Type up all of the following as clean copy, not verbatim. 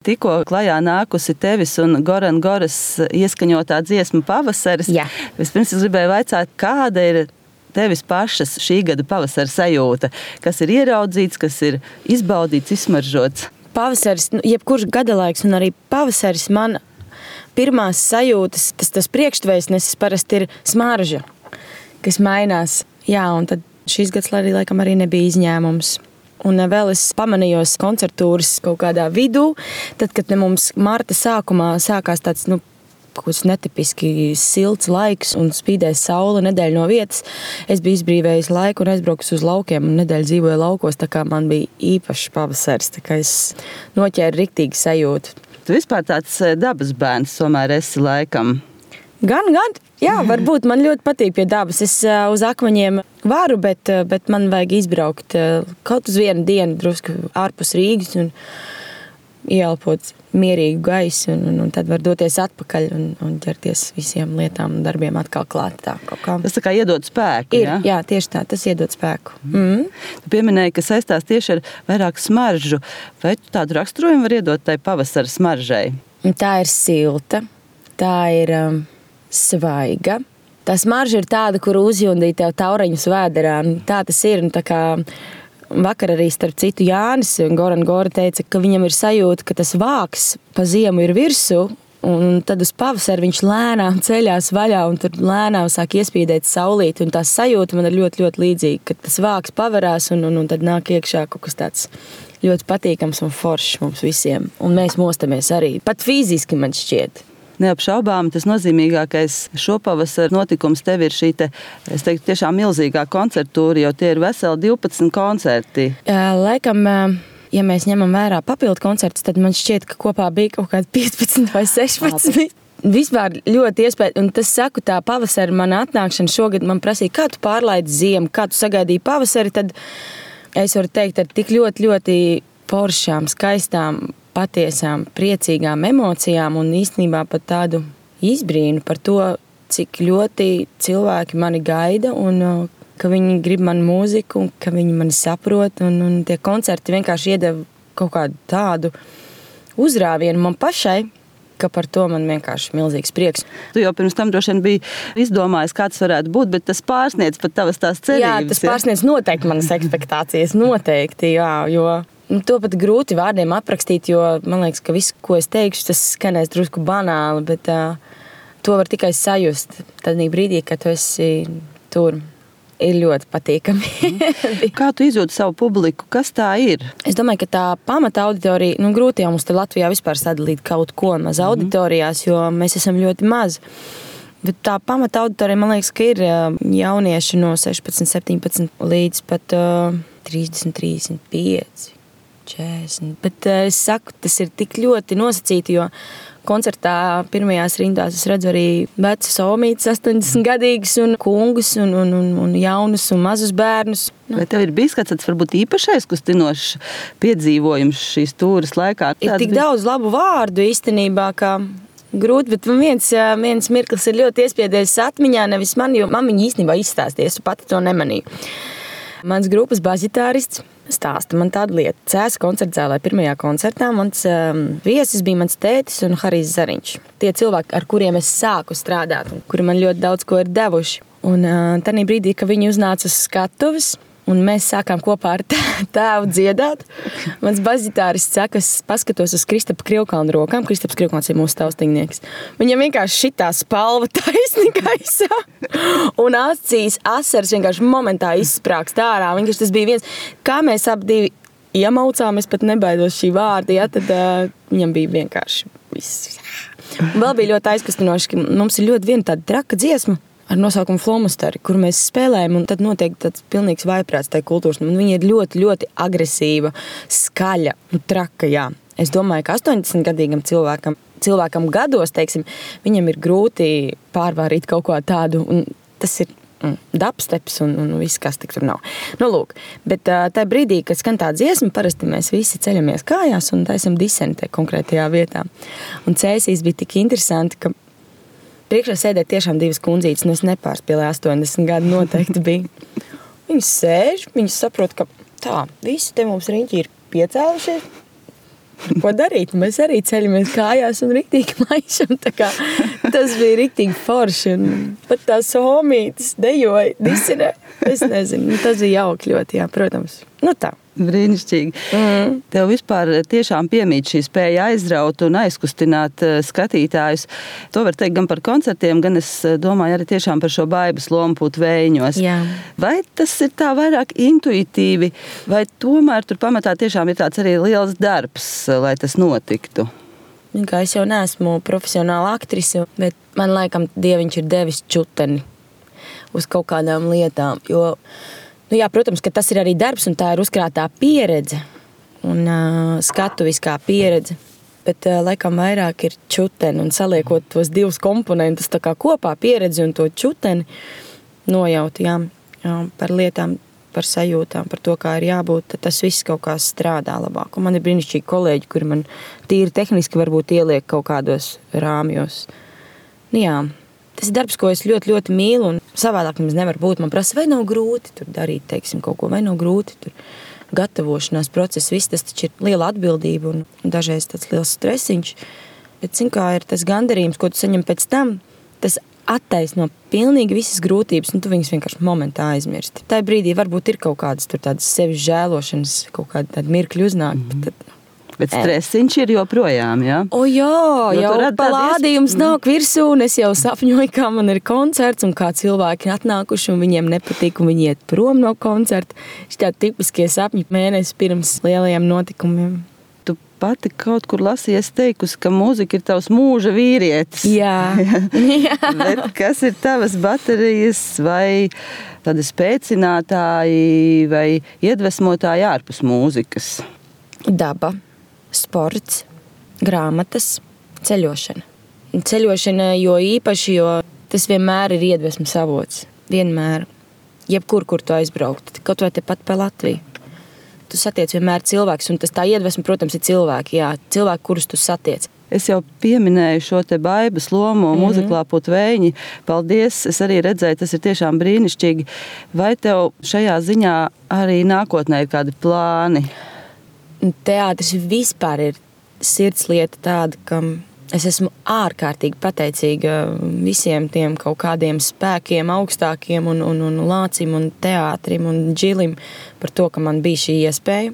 Tikko klajā nākusi tevis un Goran Goras ieskaņotā dziesma Pavasaris. Jā. Vispirms es gribēju vaicāt, kāda ir tevis pašas šī gada pavasara sajūta? Kas ir ieraudzīts, kas ir izbaudīts, izsmaržots? Pavasaris, jebkurš gadalaiks un arī pavasaris man pirmās sajūtas, tas priekštveiksnesis parasti ir smarža, kas mainās. Jā, un tad šīs gads arī laikam arī nebija izņēmums. Un vēl es pamanījos koncertūras kaut kādā vidū, tad, kad mums marta sākumā sākās tāds, kaut kāds netipiski silts laiks un spīdēja saule nedēļu no vietas. Es biju izbrīvējis laiku un aizbraukus uz laukiem un nedēļu dzīvoju laukos, tā kā man bija īpašs pavasaris, tā kā es noķēru riktīgi sajūtu. Tu vispār tāds dabas bērns tomēr esi laikam. Gan. Jā, varbūt man ļoti patīk pie dabas. Es uz akmeņiem varu, bet man vajag izbraukt kaut uz vienu dienu drusku ārpus Rīgas un ieelpot mierīgu gaisu un tad var doties atpakaļ un ķerties visiem lietām un darbiem atkal klāt. Tas tā kā iedod spēku, ja? Jā, tieši tā, tas iedod spēku. Tu pieminēji, ka saistās tieši ar vairāk smaržu. Vai tu tādu raksturojumu var iedot tai pavasara smaržai? Tā ir silta, tā ir svaiga. Tā smarža ir tāda, kur uzjundīja tev tauriņus vēderā. Tā tas ir. Tā kā vakar arī starp citu Jānis Goran Gora teica, ka viņam ir sajūta, ka tas vāks pa ziemu ir virsū, un tad uz pavasaru viņš lēnām ceļās vaļā un tur lēnām sāk iespīdēt saulīti. Un tā sajūta man ir ļoti, ļoti līdzīga, ka tas vāks pavarās un tad nāk iekšā kaut kas tāds ļoti patīkams un foršs mums visiem. Un mēs mostamies arī. Pat fiziski man šķiet. Neapšaubām tas nozīmīgākais šopavasar notikums tev ir šī es teiktu, tiešām milzīgā koncertūra, jo tie ir veseli 12 koncerti. Laikam, ja mēs ņemam vērā papildu koncertus, tad man šķiet, ka kopā bija kaut kādi 15 vai 16. Vispār ļoti iespēja, un tas saku, tā pavasara mana atnākšana šogad man prasīja, kā tu pārlaidi ziemu, kā tu sagaidīji pavasari, tad es varu teikt ar tik ļoti, ļoti foršām, skaistām, patiesām, priecīgām emocijām un īstenībā pat tādu izbrīnu par to, cik ļoti cilvēki mani gaida un ka viņi grib manu mūziku un ka viņi mani saprot un tie koncerti vienkārši iedeva kaut kādu tādu uzrāvienu man pašai, ka par to man vienkārši milzīgs prieks. Tu jau pirms tam droši vien biji izdomājis, kāds varētu būt, bet tas pārsniedz pat tavas tās cerības. Jā, tas pārsniedz noteikti manas ekspektācijas, noteikti, jā, jo to pat grūti vārdiem aprakstīt, jo man liekas, ka viss, ko es teikšu, tas skanēs drusku banāli, bet to var tikai sajust. Tad brīdī, kad tu esi tur, ir ļoti patīkami. Kā tu izjūti savu publiku? Kas tā ir? Es domāju, ka tā pamata auditorija, grūti jau mums te Latvijā vispār sadalīt kaut ko maz auditorijās, jo mēs esam ļoti maz. Bet tā pamata auditorija, man liekas, ka ir jaunieši no 16, 17 līdz pat 30, 35. 40. Bet es saku, tas ir tik ļoti nosacīti, jo koncertā pirmajās rindās es redzu arī vecas omītes, 80-gadīgas un kungus un jaunus un mazus bērnus. Vai tev ir bijis kāds varbūt īpašais kustinošs piedzīvojums šīs tūras laikā? Ir tik daudz labu vārdu īstenībā, ka grūti, bet viens mirklis ir ļoti iespiedies atmiņā, nevis man, jo man viņa īstenībā izstāstīja, es pati to nemanīju. Mans grupas basģitārists stāsta man tādu lietu. Cēsu koncertzālē pirmajā koncertā mans viesis bija mans tētis un Harijs Zariņš. Tie cilvēki, ar kuriem es sāku strādāt un kuri man ļoti daudz ko ir devuši. Un tādā brīdī, kad viņi uznāca uz skatuves un mēs sākām kopā ar tēvu dziedāt, mans basģitārists saka, es paskatos uz Kristapa Krivkalna rokām. Kristaps Krivkalns ir mūsu taustingnieks. Viņam vienkārši šitā spalva taisni gaisā un acīs asaras vienkārši momentā izsprākst ārā. Vienkārši tas bija viens, kā mēs ap divi iemaucām, es pat nebaidos šī vārda, ja, tad viņam bija vienkārši viss. Un vēl bija ļoti aizkustinoši, ka mums ir ļoti viena tāda traka dziesma ar nosaukumu Flomustari, kur mēs spēlējam, un tad notiek tāds pilnīgs vaiprāts tai kultūras. Un viņa ir ļoti, ļoti agresīva, skaļa, traka, jā. Es domāju, ka 80-gadīgam cilvēkam gados, teiksim, viņam ir grūti pārvārīt kaut ko tādu, un tas ir dubsteps un viss, kas tik tur nav. Lūk, bet tajā brīdī, kad skan tā dziesma, parasti mēs visi ceļamies kājās un taisam disentē konkrētajā vietā. Un cēsīs bija tik interesanti, ka priekšā sēdēja tiešām divas kundzītes, un es nepārspēlēju 80 gadu noteikti bija. Viņas sēž, viņas saprot, ka tā, visi te mums riņķi ir piecēlušies. Ko darīt? Mēs arī ceļamies kājās un riktīgi maišam. Tas bija riktīgi forši. Un pat tās homītes dejoja, disinē. Es nezinu, tas bija jauki ļoti, jā, protams. Tā. Brīnišķīgi. Tev vispār tiešām piemīt šī spēja aizraut un aizkustināt skatītājus. To var teikt gan par koncertiem, gan es domāju arī tiešām par šo Baibas lomu Putvējiņos. Jā. Vai tas ir tā vairāk intuitīvi, vai tomēr tur pamatā tiešām ir tāds arī liels darbs, lai tas notiktu? Kā es jau neesmu profesionāla aktrise, bet man laikam Dieviņš ir devis čuteni uz kaut kādām lietām, jo jā, protams, ka tas ir arī darbs un tā ir uzkrātā pieredze un skatuviskā pieredze, bet laikam vairāk ir čuteni un saliekot tos divus komponentus tā kā kopā pieredzi un to čuteni nojaut, jā, par lietām, par sajūtām, par to, kā ir jābūt, tad tas viss kaut kā strādā labāk. Un man ir brīnišķīgi kolēģi, kuri man tīri tehniski varbūt ieliek kaut kādos rāmjos. Jā. Tas ir darbs, ko es ļoti, ļoti mīlu, un savādāk mums nevar būt. Man prasa, vai nav grūti tur darīt, teiksim, kaut ko, vai nav grūti tur gatavošanās process. Viss tas taču ir liela atbildība un dažreiz tāds liels stresiņš. Bet, kā ir tas gandarījums, ko tu saņem pēc tam, tas attaisno pilnīgi visas grūtības, un tu viņas vienkārši momentā aizmirsti. Tā brīdī varbūt ir kaut kādas tur tādas sevis žēlošanas, kaut kāda tāda mirkļa uznāk, bet tad Bet stresiņš ir joprojām, jā? Jau palādījums nāk virsū, un es jau sapņoju, kā man ir koncerts, un kā cilvēki ir atnākuši, un viņiem nepatīk, un viņi iet prom no koncerta. Šitā tipiskie sapņi mēnesi pirms lielajiem notikumiem. Tu pati kaut kur lasies teikusi, ka mūzika ir tavs mūža vīrietis. Jā. Bet kas ir tavas baterijas vai tādi spēcinātāji vai iedvesmotāji ārpus mūzikas? Daba. Sports, grāmatas, ceļošana. Ceļošana jo īpaši, jo tas vienmēr ir iedvesmas avots. Vienmēr. Jebkur, kur tu aizbraukt. Kaut vai tepat pa Latviju. Tu satiec vienmēr cilvēks, un tas tā iedvesma, protams, ir cilvēki. Jā, cilvēki, kurus tu satiec. Es jau pieminēju šo te Baibas lomu mūziklā Putvējiņi. Paldies, es arī redzēju, tas ir tiešām brīnišķīgi. Vai tev šajā ziņā arī nākotnē ir kādi plāni? Teātris vispār ir sirdslieta tāda, ka es esmu ārkārtīgi pateicīga visiem tiem kaut kādiem spēkiem, augstākiem un Lācim un teātrim un Džilim par to, ka man bija šī iespēja.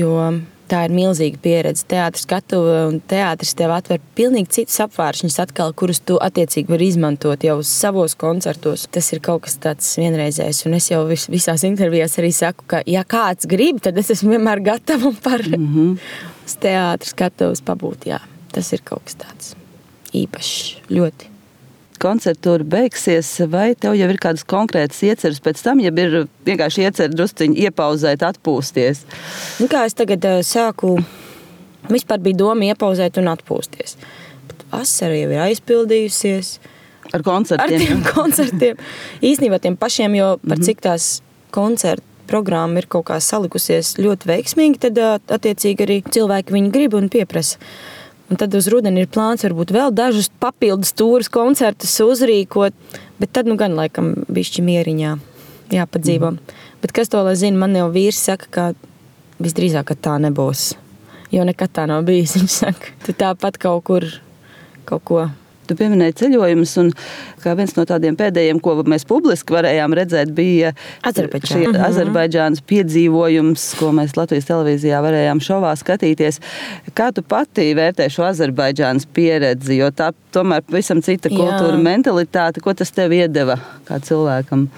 Jo tā ir milzīga pieredze. Teātris skatuve un teātris tev atver pilnīgi citus apvāršņus atkal, kurus tu attiecīgi vari izmantot jau savos koncertos. Tas ir kaut kas tāds vienreizējs, un es jau visās intervijās arī saku, ka ja kāds grib, tad es esmu vienmēr gatava par uz teātris skatuves pabūt, jā. Tas ir kaut kas tāds īpašs, ļoti. Koncertūra beigsies, vai tev jau ir kādas konkrētas ieceres pēc tam, ja ir vienkārši iecer drusciņi iepauzēt, atpūsties? Kā es tagad sāku, vispār bija doma iepauzēt un atpūsties. Bet vasara jau ir aizpildījusies. Ar koncertiem? Ar tiem koncertiem. Īstenībā tiem pašiem, jo par cik tās koncertu programma ir kaut kā salikusies ļoti veiksmīgi, tad attiecīgi arī cilvēki viņu grib un pieprasa. Un tad uz rudeni ir plāns varbūt vēl dažus papildus tūrus koncertus uzrīkot, bet tad gan laikam bišķi mieriņā jāpadzīvo. Bet kas to lai zina, man jau vīrs saka, ka visdrīzāk, ka tā nebūs. Jo nekad tā nav bijis, viņš saka. Tu tāpat kaut kur, kaut ko. Tu pieminēji ceļojumus, un kā viens no tādiem pēdējiem, ko mēs publiski varējām redzēt, bija Azerbaidžānas piedzīvojums, ko mēs Latvijas televīzijā varējām šovā skatīties. Kā tu pati vērtē šo Azerbaidžānas pieredzi, jo tā tomēr pavisam cita kultūra, mentalitāte, ko tas tev iedeva kā cilvēkam?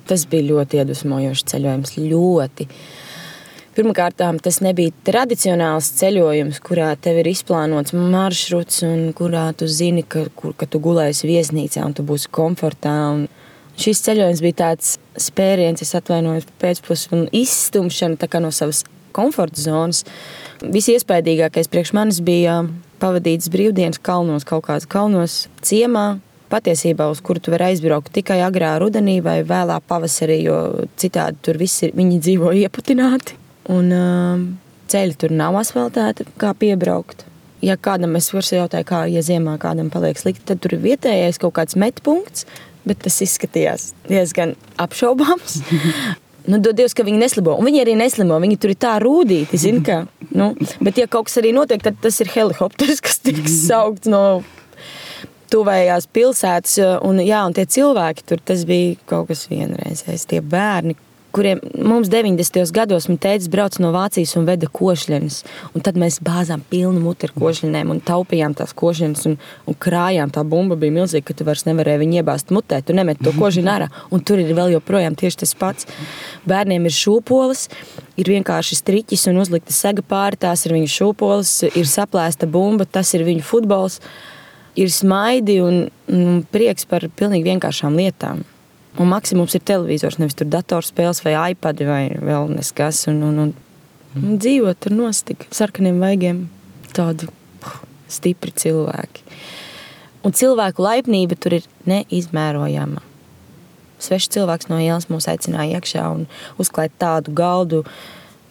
Tas bija ļoti iedvesmojošs ceļojums, ļoti. Pirmkārt, tas nebija tradicionāls ceļojums, kurā tev ir izplānots maršruts un kurā tu zini, ka tu gulēsi viesnīcā un tu būsi komfortā. Un šis ceļojums bija tāds spēriens, es atvainojos pēcpus un izstumšana tā kā no savas komforta zonas. Visiespēdīgākais priekš manis bija pavadīts brīvdienas kalnos, kaut kāds kalnos ciemā, patiesībā, uz kuru tu vari aizbraukt tikai agrā rudenī vai vēlā pavasarī, jo citādi tur visi viņi dzīvo ieputināti. Un ceļi tur nav asfaltēti, kā piebraukt. Ja kādam es varu jautāju, kā, ja ziemā kādam paliek slikti, tad tur ir vietējais kaut kāds metpunkts, bet tas izskatījās diezgan apšaubāms. dod Dievs, ka viņi neslimo. Un viņi arī neslimo, viņi tur ir tā rūdīti, zini, ka, bet ja kaut kas arī notiek, tad tas ir helikopters, kas tiks saukts no tuvējās pilsētas, un tie cilvēki tur, tas bija kaut kas vienreizējs, tie bērni, kuriem mums 90. gados man tētis brauc no Vācijas un veda košļenes. Un tad mēs bāzām pilnu muti ar košļenēm un taupījām tās košļenes un krājām. Tā bumba bija milzīga, ka tu vairs nevarēji viņu iebāzt mutē. Tu nemet to košļenu ārā. Un tur ir vēl joprojām tieši tas pats. Bērniem ir šūpoles, ir vienkārši striķis un uzlikta sega pāri, tās ir viņu šūpoles, ir saplēsta bumba, tas ir viņu futbols. Ir smaidi un prieks par pilnīgi vienkāršām lietām. Un maksimums ir televizors, nevis tur datorspēles vai iPadi vai vēl neskas. Un dzīvot tur nostik sarkaniem vaigiem tādi stipri cilvēki. Un cilvēku laipnība tur ir neizmērojama. Svešs cilvēks no ielas mūs aicināja iekšā un uzklāt tādu galdu.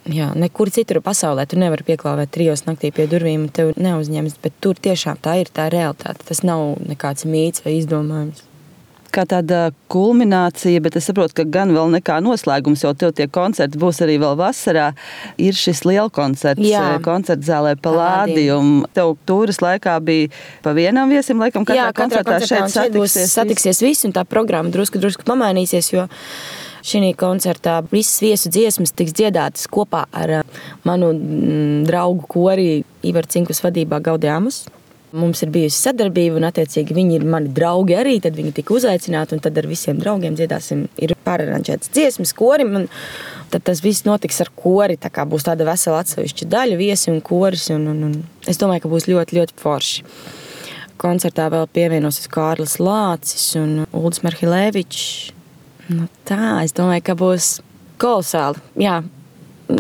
Jā, nekur citur pasaulē tu nevari pieklāvēt 3 naktī pie durvīm un tev neuzņems, bet tur tiešām tā ir tā realitāte. Tas nav nekāds mīts vai izdomājums. Kā tāda kulminācija, bet es saprotu, ka gan vēl nekā noslēgums, jo tev tie koncerti būs arī vēl vasarā, ir šis lielkoncerts koncertzālē Palladium. Tev tūras laikā bija pa vienam viesim, laikam katrā koncertā šeit satiksies visi, un tā programma drusku pamainīsies, jo šī koncertā visas viesu dziesmas tiks dziedātas kopā ar manu draugu kori Ivaru Cinkus vadībā Gaudeamus. Mums ir bijusi sadarbība, un attiecīgi viņi ir mani draugi arī, tad viņi tika uzaicināti, un tad ar visiem draugiem dziedāsim. Ir pāraranžētas dziesmas korim, un tad tas viss notiks ar kori, tā kā būs tāda vesela atsevišķa daļa, viesi un koris, un es domāju, ka būs ļoti, ļoti forši. Koncertā vēl pievienosies Kārlis Lācis un Uldis Marhilēvičs. Es domāju, ka būs kolosāli. Jā,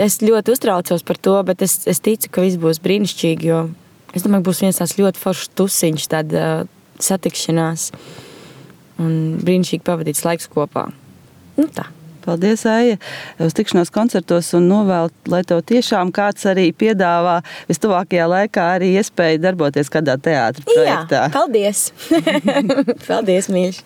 es ļoti uztraucos par to, bet es ticu, ka viss būs brīnišķīgi, jo es domāju, ka būs viens tās ļoti foršs tusiņš, tāda satikšanās un brīnišķīgi pavadīts laiks kopā. Tā. Paldies, Aija, uz tikšanos koncertos un novēlu, lai tev tiešām kāds arī piedāvā vistuvākajā laikā arī iespēju darboties kādā teātra projektā. Jā, paldies! Paldies, mīļš!